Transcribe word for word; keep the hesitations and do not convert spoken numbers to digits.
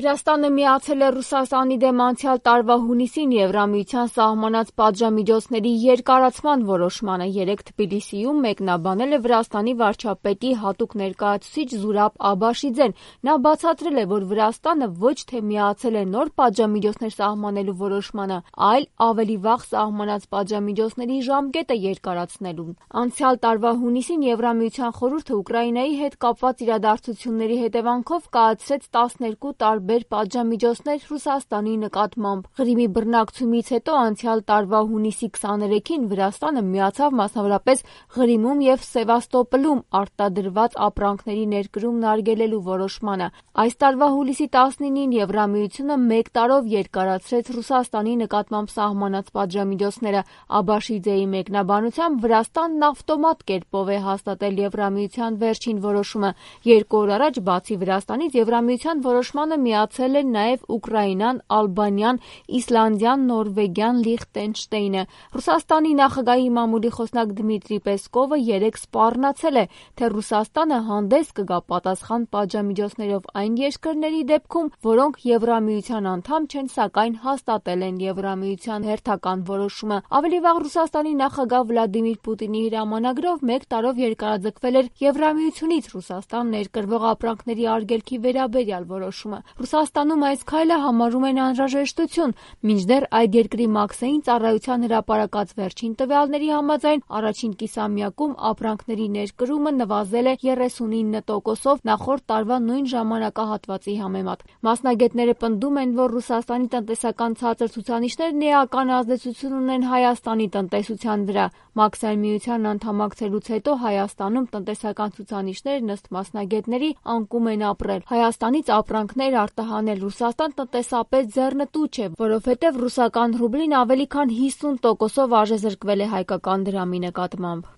Վրաստանը միացել է Ռուսաստանի դեմ անցյալ տարվա հունիսին Եվրամիության սահմանած պատժամիջոցների երկարացման որոշմանը։ Երեկ Թբիլիսիում մեկնաբանել է Վրաստանի վարչապետի հատուկ ներկայացուցիչ Զուրաբ Աբաշիձեն։ Նա բացատրել է, որ Վրաստանը ոչ թե միացել է նոր պատժամիջոցներ սահմանելու որոշմանը, այլ ավելի վաղ սահմանած պատժամիջոցների ժամկետը երկարացնելուն։ Անցյալ տարվա հունիսին Եվրամիության խորհուրդը Ուկրաինայի հետ կապված իրադարձությունների հետևանքով կայացրեց տասներկու տարբեր պատժամիջոցներ Ռուսաստանի նկատմամբ։ Ղրիմի բռնակցումից հետո անցյալ տարվա հունիսի քսաներեքին Վրաստանը միացավ մասնավորապես Ղրիմում և Սևաստոպոլում արտադրված ապրանքների ներկրումն արգելելու որոշմանը։ Այս տարվա հուլիսի տասնինին Եվրամիությունը մեկ տարով երկարացրեց Ռուսաստանի նկատմամբ սահմանած պատժամիջոցները։ Աբաշիձեի մեկնաբանությամբ Վրաստանն ավտոմատ կերպով է հաստատել Եվրամիության վերջին որոշումը։ Երկու օր առաջ բացի Վրաստանից Եվրամիության որոշմանը միացել են նաև Ուկրաինան, Ալբանիան, Իսլանդիան, Նորվեգիան, Լիխտենշտեյնը։ Ռուսաստանի նախագահի մամուլի խոսնակ Դմիտրի Պեսկովը երեկ սպառնացել է, թե Ռուսաստանը հանդես կգա պատասխան պատժամիջոցներով այն երկրների դեպքում, որոնք Եվրամիության անդամ չեն, սակայն հաստատել են Եվրամիության հերթական որոշումը։ Ավելի վաղ Ռուսաստանի նախագահ Վլադիմիր Պուտինի հրամանագրով մեկ տարով երկարաձգվել էր Եվրամիությունից Ռուսաստան ներկրվող ապրանքների արգելքի վերաբերյալ որոշումը։ Ռուսաստանում այս քայլը համարում են անհրաժեշտություն, մինչդեռ այդ երկրի մաքսային ծառայության հրապարակած վերջին տվյալների համաձայն առաջին կիսամյակում ապրանքների ներկրումը նվազել է երեսունինը տոկոսով նախորդ տարվա նույն ժամանակահատվածի համեմատ։ Մասնագետները պնդում են, որ Ռուսաստանի տնտեսական ցածր ցուցանիշներն էական ազդեցություն ունեն Հայաստանի տնտեսության վրա։ Մաքսային միության անդամակցելուց հետո Հայաստանում տնտեսական ցուցանիշներն ըստ մասնագետների անկում են ապրել։ Հայաստանից ապրանքներ արտահանել Ռուսաստան տնտեսապես ձեռնտու չէ, որովհետև ռուսական ռուբլին ավելի քան հիսուն տոկոսով արժեզրկվել է հայկական դրամի նկատմամբ։